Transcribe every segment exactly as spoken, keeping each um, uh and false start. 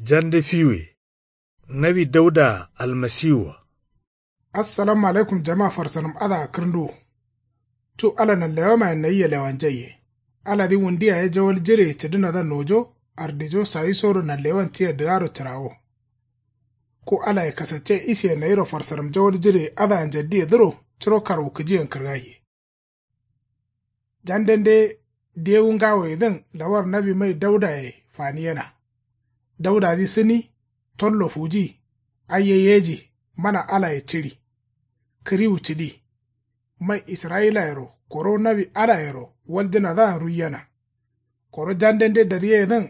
Jande fiwuye. Nawi dauda almasiwua. Assalamu alaikum jama farsanǝm adǝa kǝrǝnduwu. Cu ala nanlewamayen nayia lewanjaiye. Aladǝ wundu yaye jawal jireye cǝdǝnadǝa nojo ardijo sawisoro nanlewan tia dǝgaro cǝrawo. Ku alaye kasacce isiye nayiro farsanǝm jawal jireye adǝa njaddiyedǝro curo karwukǝjiyen kǝrgaiye. Jandende dewu ngawoyedǝn lawar nawi mai daudaye faniyena. Daudadǝ sǝni tollo fuji. Aiye yeji mana alaye cǝri. Kǝriwu cǝdi. Mai israyilayero koro nawi alayero waljǝnadǝa ruiyena. Koro jandende daryeyedǝn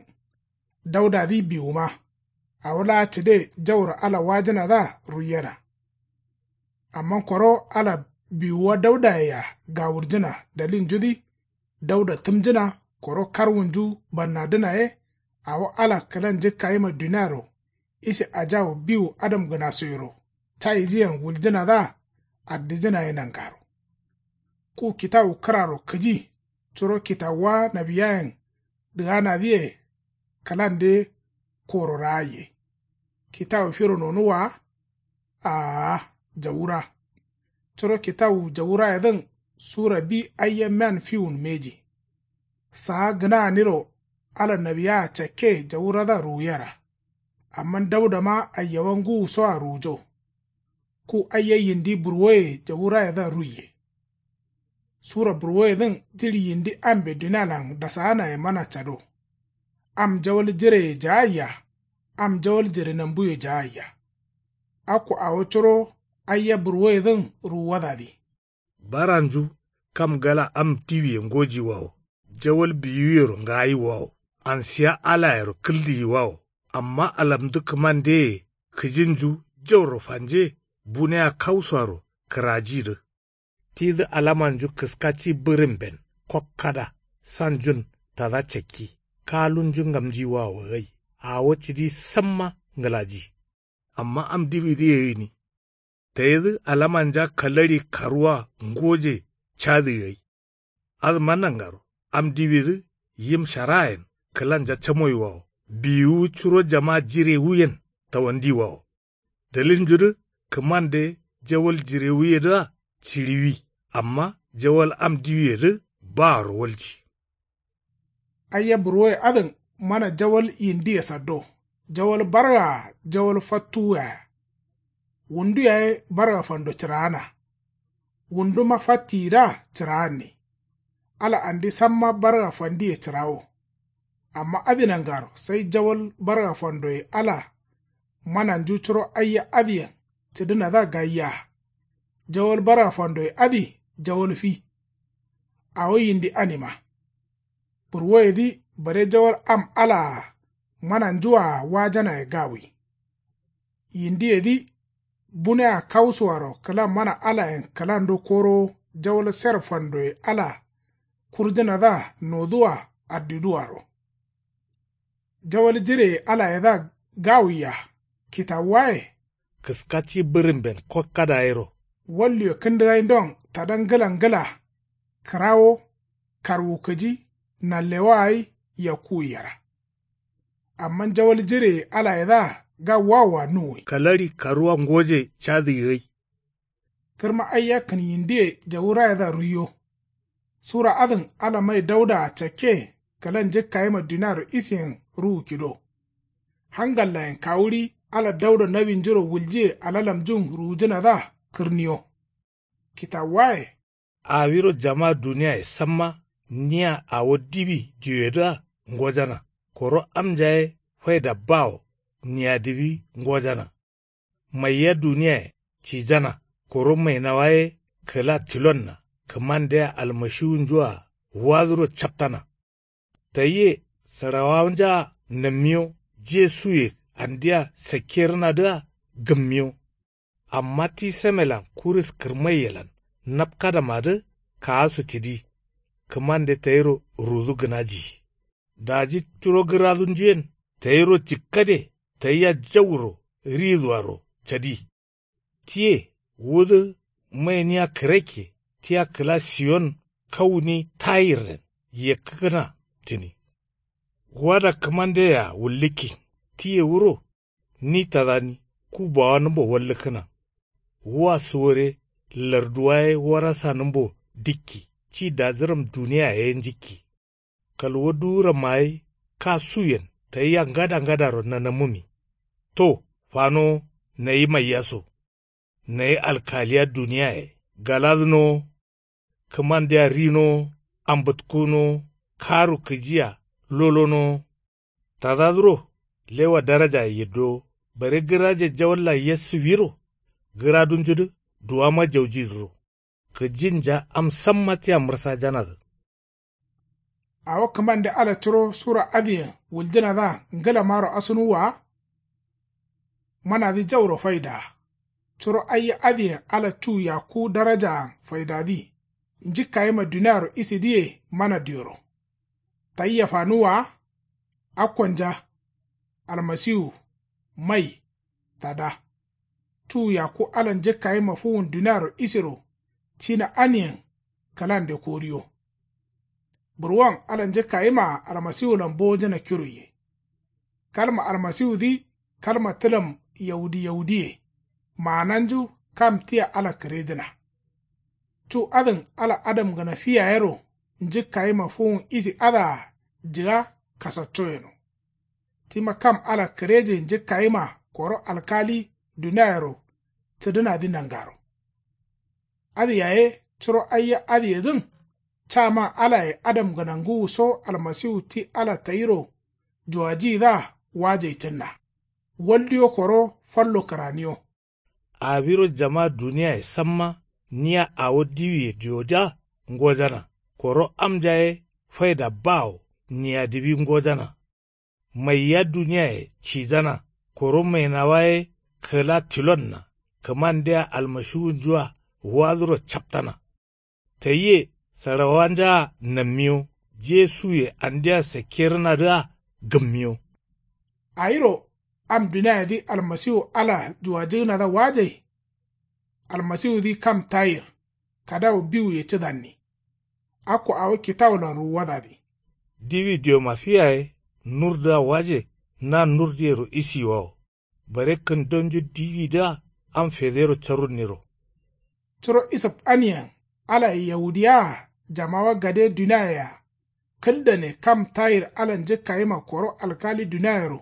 daudadǝ biwuma. Awo laa cǝde jauro ala wajǝnadǝa ruiyena. Amma koro ala biwuwa daudayea gawurjǝna dalilnjudǝ dauda tǝmjǝna koro karwunju bannadǝna ye. Awo ala kǝla njǝkkayima duniaro ise ajawu biwu adamgǝnasoyero cayijǝyen wuljǝnadǝa ardijǝna ye nangaro. Ku kitawu kǝraro kǝji curo kitawuwa nawiyayen dǝganadǝye kǝlande koro raaiye. Kitawu firo nonuwwa wa? Aa. Jawura. Curo kitawu jawurayedǝn sura bi aiya mean fiwun mbeji. Saa gǝnaaniro ala nawiyaya cakke jawuradǝa ruwuyera. Amma daudama aiyawa ngǝwusoa ruwujo. Ku aiya yindi burwoye jawurayedǝa ruiye. Sura burwoyedǝn jiɍi yindi ambe dunialan dasaanaye mana cado. Am jawal jireye jaaiya. Am jawal jiɍi nambuye jaaiya. Akko awo curo aiya burwoyedǝn ruwuwadadǝ. Baranju kam gala am diwiye ngojiwawo. Jawal biwuyero ngayiwawo. Ansiya alayero kǝldiyiwawo. Amma alamdu kǝmandeye kǝjinju jauro fanje bunea kausoaro kǝrajidǝ. Tidǝ alamanju kǝskaci bǝrǝmben kokkada sanjun tada cakki kalunju ngamjiwawo gai. Awo cidi samma ngǝlaji. Amma am diwidǝye gǝni. Tayidǝ alamanja kalaɍi karuwa ngoje cadǝ gai. Adǝma nangaro am diwidǝ yim sharayen kǝlanja camoyiwawo biwuwu curo jama jirewuyen tawandiwawo. Dalilnjudǝ kǝmande jawal jirewuyedǝa ciɍiwi. Amma jawal am diwiyedǝ baaro walji. Aiya burwoye adǝn mana jawal yindiye saddo. Jawal bargaa jawal fattuwuyaya. Wundu yaye barga fando cǝraana. Wunduma fattiyidǝa cǝraanni. Ala andi samma barga fandiye cǝrawo. Amma adǝ nangaro sai jawal barga fandoye ala mananju curo aiya adǝyen cǝdǝnadǝa gaiya. Jawal barga fandoye adǝ jawal fi. Awo yindi anima. Burwoyedǝ bare jawal am alaa mananjuwaa wajanaye gawi. Yindiyedǝ bunea kausuwaro kǝla mana alayen kǝlando korowo jawal ser fandoye ala kurjǝnadǝa noduwa addiduwaro. Jawal jireye alayedǝa gawiya kitawuwaye. Kǝskaci bǝrǝmben kokkada yero. Walluwe kǝndǝgaindon tada ngǝla ngǝla kǝrawo karwukǝji nanlewa gai yakkuwi yera. Amma jawal jireye alayedǝa gawuwawoa nuwwi. Kalaɍi karuwa ngoje cadǝyi gai. Kǝrma aiya kǝn yindiye jawurayedǝa ruiyo. Sura adǝn ala mai daudaa cakke kǝla njǝkkayima duniaro isiyen ruwu kido. Hangallayen kawuɍi ala dauda nawinjuro wuljiye alalamjun ruwujǝnadǝa kǝrniyo. Kitawuwaye. Awiro jama duniyaye samma nia awo diwi diwedǝa ngojana. Koro amnjaye faida bawo nia diwi ngojana. Maiya duniyaye cijana koro mainawa ye kǝla tilonna kǝmandea almashiwunjua waduro captana. Tayie sǝɍawawanja nammiyo jesuye andia sakkerǝnadǝa gǝmmiyo. Amma ti samelan kuris kǝrmaiyelan napkadamadǝ kaasu cǝdi. Kǝmande tayiro rudu gǝnaji. Daji curo gǝradunjuyen tayiro jikkade tayia jauro riduaro cadi. Tiye wudǝ mainiya kǝrakke tia kǝla siyon kauni tayirren yekkǝkǝna tǝni. Wada kǝmandeyea wullǝkkin tiye wuro. Ni tadani ku bawanǝmbo wallǝkkǝna. Wua suwore larduwa ye warasanǝmbo dikki ci dajǝram duniya ye njikki. Kalwo duwuramma ye ka suyen tayia ngada ngadaro nanamǝmi. To fanowo nayi maiya so. Nayi alkaliya duniyaye galadǝnowo. Kǝmandea rinowo. Ambǝtkunowo. Karu kǝjiya lolonowo. Tadadǝro lewa darajaye yiddowo. Bare gǝraje jawallan yessǝwiro. Gǝradunjudǝ duwama jaujidǝro. Kǝjinja am samma tia mǝrsajanadǝ. Awo kǝmande ala curo sura adǝyen wuljǝnadǝa ngǝlamaro asunuwwa wa. Manadǝ jauro faidaa. Curo aiya adǝyen ala cu yakku darajaan faidadǝ. Njikkayima duniaro isidǝye mana dioro. Tayia fanuwwa wa. Akkonja. Almasiwu. Mai. Tada. Cu yakku ala njikkayima fuwun duniaro isiro. Cina aniyen. Kǝlande koriyo. Burwon ala njǝkkayimaa almasiwulan bowojǝna kiroiye. Kalma almasiwudǝ kalma tǝlam yawudi yawudiye. Maananju kam tia ala kǝrejǝna. Cu adǝn ala adamgǝna fi yayero njǝkkayima fuwun isi adǝa jǝga kasacco yeno. Tima kam ala kǝreje njǝkkayima koro alkali duniayero cǝdǝnadǝ nangaro. Adǝ yaye curo aiya adǝyedǝn. Caman alaye adamgǝna ngǝwuso almasiwu ti ala tayiro juwajiyidǝa wajai cǝnna. Waldiyo koro fallo kǝraniyo. Awiro jama duniyaye samma nia awo diwiye dioja ngojana. Koro amja ye faida bawo nia diwi ngojana. Maiya duniyaye cijana. Koro mainawa ye kǝla tilonna. Kǝmandea almashiwunjua waduro captana. Tayiye sarawanjaa nammiyo. Jesuye andea sakkerǝnadǝa gǝmmiyo. Awiro am duniayedǝ almasiwu ala juwajǝgǝnadǝa wajai. Almasiwudǝ kam tayir. Kadawu biwuye cǝdanni. Akko awo kitawulan ruwuwadadǝ. Diwi dioma fi yaye nurdǝa waje. Na nurdǝyero isiyiwawo. Bare kǝndonju diwidǝa am federo carunniro. Curo isǝf aniyen alaye yawudiyawaa jamawa gade duniayea. Kǝldane kam tayir ala njǝkkayima koro alkali duniayero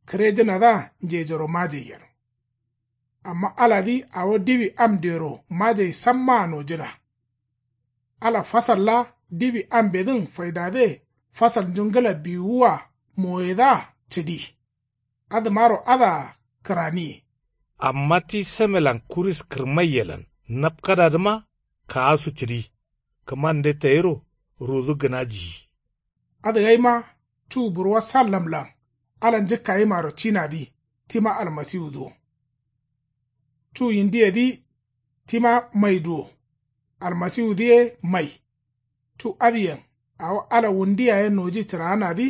kǝrejǝnadǝa njejoro majai yeno. Amma aladǝ awo diwi am dioro majai sammaa nojǝna. Ala fasalla diwi ambedǝn faidade fasalnju ngǝla biwuwwa moyedǝa cǝdi. Adǝmaro adǝa kǝraniye. Amma ti samelan kuris kǝrmaiyelan napkadadǝma kaasu cǝdi. Kǝmande tayiro rudu gǝnajiyi. Adǝgaima cu burwa sallamlan ala njǝkkayimaro cinadǝ tima almasiwudǝ wo. Cu yindiyedǝ tima maidǝ wo. Almasiwudǝ ye mai. Cu adǝyen awo ala wundu yaye noji cǝraanadǝ.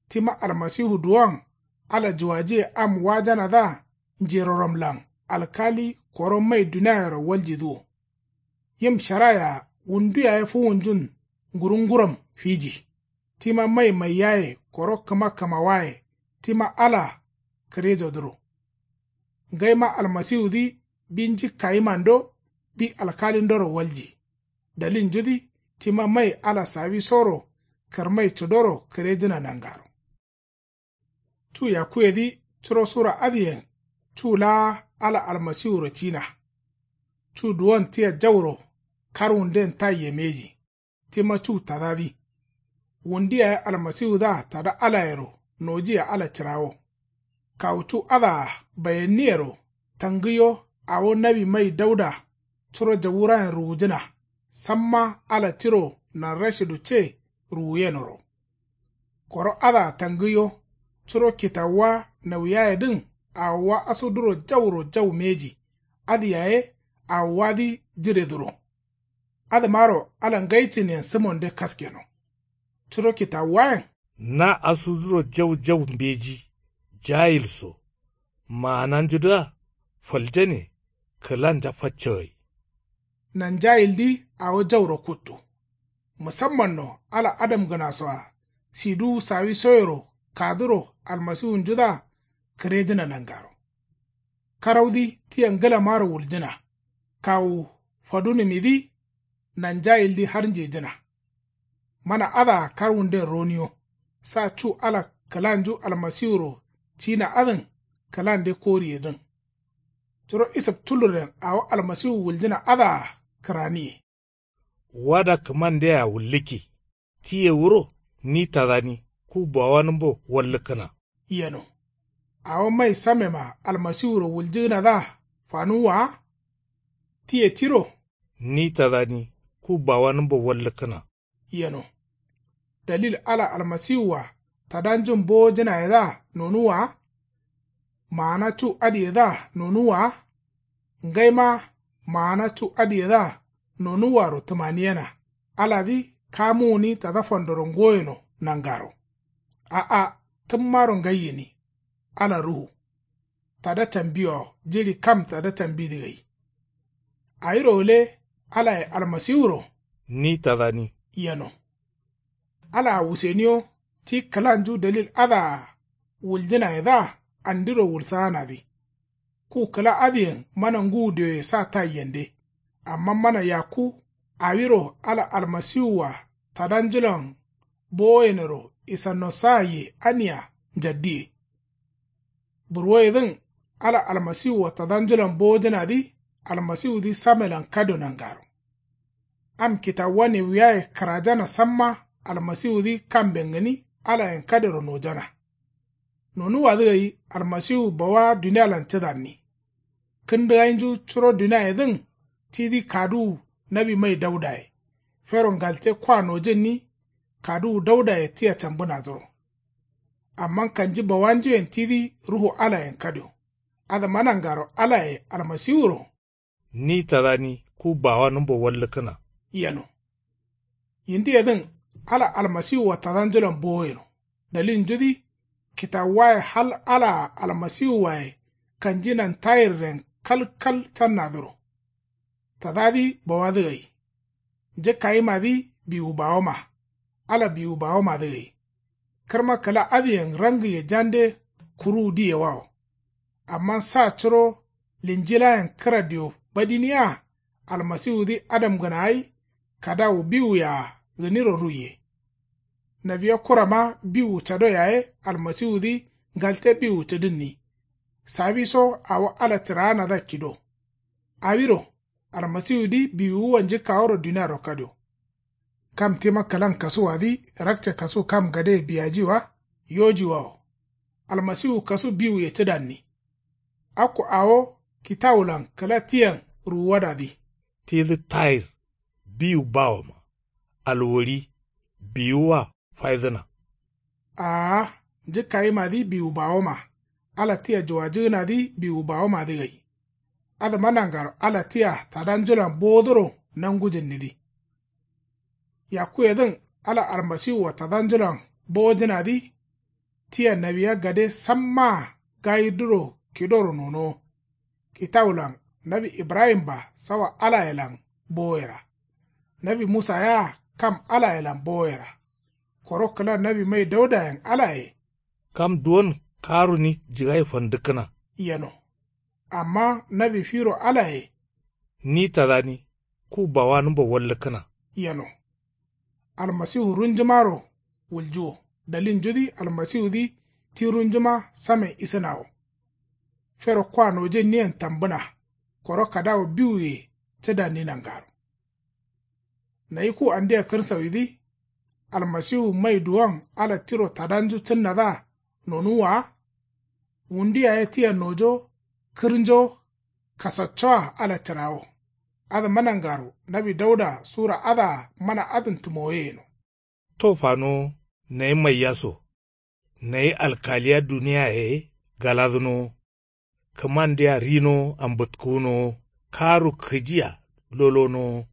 Tima almasiwu duwon ala juwajiye am wajanadǝa njiroramlan alkali koro mai duniayero waljidǝ wo. Yim sharayea wundu yaye fuwunjun ngurunguram fiji. Tima mai maiyaye koro kǝma kǝmawaye tima ala kǝrejodǝro. Ngaima almasiwudǝ bi njikkayimando bi alkalindoro walji. Dalilnjudǝ tima mai ala sawisoro kǝrmai cǝdoro kǝrejǝna nangaro. Cu yakkuyedǝ curo sura adǝyen cu laa ala almasiwuro cina. Cu duwon tia jauro karwunden taiye mbeji. Tima cu tadadǝ. Wundu yaye almasiwudǝa tada alayero nojiye ala cǝrawo. Kawu cu adǝa bayenniyero tangǝyo awo nawi mai dauda curo jawurayen ruwujǝna. Samma ala tiro nanrashidu ce ruwuyenoro. Koro adǝa tangǝyo curo kitawuwa nauyayedǝn awowa asuduro jauro jau mbeji. Adǝ yaye awowadǝ jiredǝro. Adǝmaro ala ngai cǝniyen sǝmonde kaskeno. Curo kitawuwayen. Na asuduro jau jau mbeji. Jayil so maananjudǝa faljane kǝlanja faccagai. Nanjayildǝ awo jauro kuttu. Musammanno ala adamgǝnasoa siduwu sawisoyero kaduro almasiwunjudǝa kərejəna nangaro. Karaudǝ tia ngəlamaro wuljəna. Kawu fadunəmidǝ nanjayildǝ har njejəna. Mana adǝa karwunden roniyo. Sa cu ala kəlanju almasiwuro cina adǝn kəlande koriyedǝn. Curo isəp tulurren awo almasiwu wuljəna adǝa kəraniye. Wada kəmandea wulləki. Tiye wuro ni tadani ku bawanəmbo walləkkəna. Yeno. Awo mai samema almasiwuro wuljəgənadǝa fanuwwa wa? Tiye tiro. Ni tadani ku bawanəmbo walləkkəna. Yeno. Dalil ala almasiwua tadanjun bowojənayedǝa nonuwwa wa? Maana cu adiyedǝa nonuwwa wa? Ngaima maana cu adiyedǝa nonuwwaro təmaniyena. Aladǝ kamuwuni tada fandoro ngoyeno nangaro. A'a. Təmmaro ngai gəni. Ala ruhu. Tada cambiwawo jiɍi kam tada cambidǝ gai. Awiro gǝle alaye almasiwuro. Ni tadani. Yeno. Alaa wuseniyo ti kəlanju dalil adǝa wuljənayedǝa andiro wulsaanadǝ. Ku kəla adǝyen mana ngəwu dioye sa taiyende. Amma mana yakku awiro ala almasiwua tadanjulan bowoyenero isannosa ye ania njaddiye. Burwoyedǝn ala almasiwua tadanjulan bowojənadǝ almasiwudǝ samelan kadio nangaro. Am kitawuwa newuyaye kərajana samma almasiwudǝ kamben gəni alayen kadioro nojana. Nonuwwadǝ gai almasiwu bawa dunialan cǝdanni. Kəndəgainju curo duniayedǝn tidǝ kaduwu nawi mai daudaye. Fero ngalte kwa nojǝnni kaduwu daudaye tia cambǝnadǝro. Amma kanji bawanjuyen tidǝ ruhu alayen kadio. Adǝma nangaro alaye almasiwuro. Ni tadani ku bawanǝmbo walləkkəna. Yeno. Yindiyedǝn ala almasiwua tadanjulan bowo yeno. Dalilnjudǝ kitawuwaye hal alaa almasiwuwaye kanji nantayirren kalkal cannadǝro. Tadadǝ bawadǝ gai. Njǝkkayimadǝ biwu bawoma. Ala biwu bawomadǝ gai. Kərma kəla adǝyen rangəye jande kuruwu diyewawo. Amma sa curo linjilayen kǝra dio badiniya almasiwudǝ adamgǝna gai kadawu biwuyea gǝniro ruiye. Nawiya kurama biwu cado yaye almasiwudǝ ngalte biwu cǝdǝnni. Sawiso awo ala cǝraanadǝa kido. Awiro almasiwudǝ biwuwua njǝkkaworo duniaro kadio. Kam tima kəlan kasuwadǝ rakce kasu kam gadeye biyaji wa? Yoji wawo. Almasiwu kasu biwuye cǝdanni. Akko awo kitawulan kəla tiyan ruwuwadadǝ. Tidǝ tayir biwu bawoma. Alwori biwuwa faidǝna. Aa. Njǝkkayimadǝ biwu bawoma. Ala tia juwajǝgǝnadǝ biwu bawomadǝ gai. Adǝma nangaro ala tia tadanjulan bowodoro nangujǝnnidǝ. Yakkuyedǝn ala almasiwua tadanjulan bowojǝnadǝ tia nawiya gade sammaa gayirdǝro kidoro nonowo. Kitawulan nawi ibrahim-a sawa alayelan bowoyera. Nawi musa yea kam alayelan bowoyera. Koro kəla nawi mai daudayen alaye. Kam duwon karuni jigai fandəkkəna. Yeno. Amma nawi firo alaye. Ni tadani ku bawanǝmbo walləkkəna. Yeno. Almasiwu runjumaro wuljuwo. Dalilnjudǝ almasiwudǝ ti runjuma samen isǝnawo. Fero kwa nojǝnniyen tambǝna. Koro kadawu biwuye cǝdanni nangaro. Nayi ku andia kǝrsawidǝ. Almasiwu mai duwon ala tiro tadanju cǝnnadǝa nonuwwa wa? Wundi yaye tia nojo kǝrnjo kasaccoa ala cǝrawo. Adǝma nangaro nawi dauda sura adǝa mana adǝn tǝmoye yeno. To fanowo. Nayi maiya so. Nayi alkaliya duniyaye galadǝnowo. Kǝmandea rinowo ambǝtkǝwunowo. Karu kǝjia lolonowo.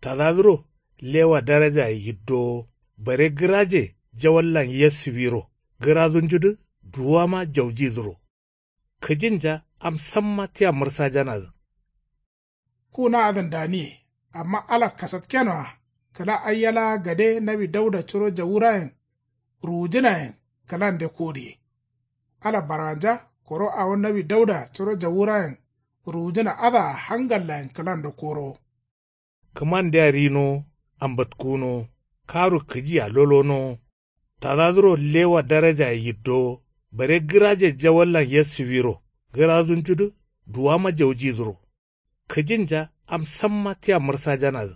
Tadadǝro lewa darajaye yiddowo. Bare gǝraje jawallan yessiwiro gǝradunjudǝ duwama jaujidǝro. Kǝjinja am samma tia mǝrsajanadǝ. Ku na adǝn daniye. Amma ala kasatkenoa kəla aiya laa gade nawi dauda curo jawurayen ruwujǝnayen kəlande kodiye. Ala baranja koro awo nawi dauda curo jawurayen ruwujǝna adǝa hangallayen kǝlando koro. Kǝmandea rinowo ambǝtkunowo karu kǝjia lolonowo. Tadadǝro lewa darajaye yiddowo bare gǝraje jawallan yassuwiro gǝrazunjudǝ duwama jaujidǝro. Kǝjinja am samma tia mǝrsajanadǝ.